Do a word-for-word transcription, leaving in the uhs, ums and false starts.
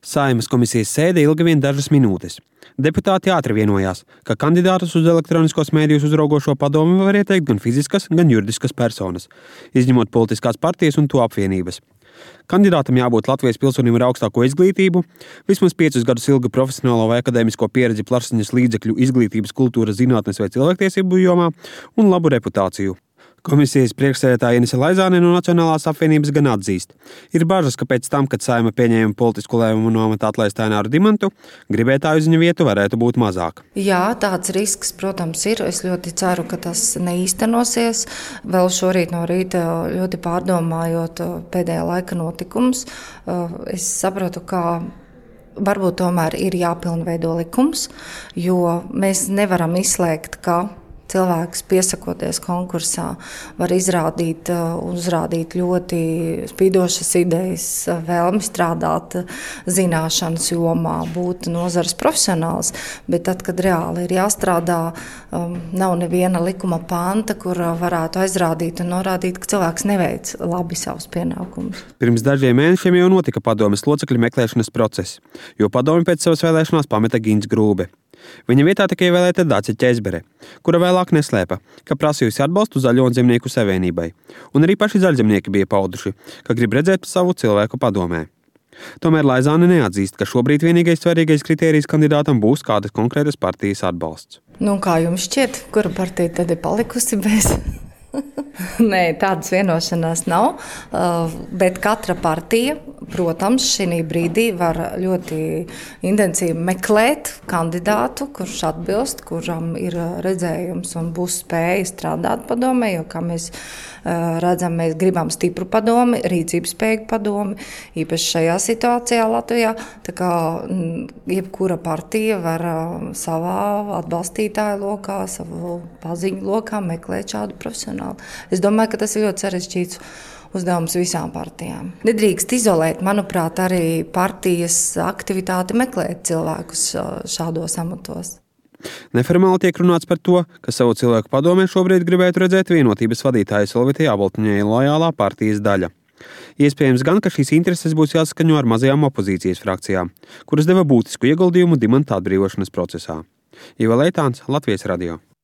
Saeimas komisijas sēde ilga vien dažas minūtes. Deputāti ātri vienojās, ka kandidātus uz elektroniskos mēdījus uzraugošo padomi var ieteikt gan fiziskas, gan juridiskas personas, izņemot politiskās partijas un to apvienības. Kandidātam jābūt Latvijas pilsonim ar augstāko izglītību, vismaz piecus gadus ilgu profesionālo vai akadēmisko pieredzi plašsaziņas līdzekļu izglītības, kultūras, zinātnes vai cilvēktiesību jomā un labu reputāciju. Komisijas priekšsēdētāja Inese Laizāne no Nacionālās apvienības gan atzīst. Ir bažas, ka pēc tam, kad Saeima pieņēma politisku lēmumu nometāt atlaist Aināru Dimantu, gribētāju uz viņa vietu varētu būt mazāk. Jā, tāds risks, protams, ir. Es ļoti ceru, ka tas neīstenosies. Vēl šorīt no rīta ļoti pārdomājot pēdējā laika notikumus, es sapratu, ka varbūt tomēr ir jāpilnveido likums, jo mēs nevaram izslēgt, ka cilvēks, piesakoties konkursā, var izrādīt, uzrādīt ļoti spīdošas idejas, vēlmi strādāt zināšanas jomā, būt nozares profesionāls, bet tad, kad reāli ir jāstrādā, nav neviena likuma panta, kur varētu aizrādīt un norādīt, ka cilvēks neveic labi savus pienākumus. Pirms dažiem mēnešiem jau notika padomes locekļu meklēšanas process, jo padomi pēc savas vēlēšanās pameta Gints Grūbe. Viņa vietā tika ievēlēta Dace Ķezbere, kura vēlāk neslēpa, ka prasījusi atbalstu Zaļo un Zemnieku savienībai, un arī paši zaļzemnieki bija pauduši, ka grib redzēt savu cilvēku padomē. Tomēr Laizāne neatzīst, ka šobrīd vienīgais svarīgais kritērijs kandidātam būs kādas konkrētas partijas atbalsts. Nu, kā jums šķiet, kura partija tad ir palikusi bez? Nē, tādas vienošanās nav, bet katra partija, protams, šī brīdī var ļoti intensīvi meklēt kandidātu, kurš atbilst, kuram ir redzējums un būs spēja strādāt padomē, jo, kā mēs redzam, mēs gribam stipru padomi, rīcības spēju padomi, īpaši šajā situācijā Latvijā, tā kā jebkura partija var savā atbalstītāju lokā, savu paziņu lokā meklēt šādu profesionālu. Es domāju, ka tas ir ļoti sarežģīts uzdevums visām partijām. Nedrīkst izolēt, manuprāt, arī partijas aktivitāti meklēt cilvēkus šādos amatos. Neformāli tiek runāts par to, ka savu cilvēku padomē šobrīd gribētu redzēt vienotības vadītāja Solvita Jāboltiņai lojālā partijas daļa. Iespējams gan, ka šīs intereses būs jāsaskaņo ar mazajām opozīcijas frakcijām, kuras deva būtisku ieguldījumu Dimanta atbrīvošanas procesā. Iva Leitāns, Latvijas radio.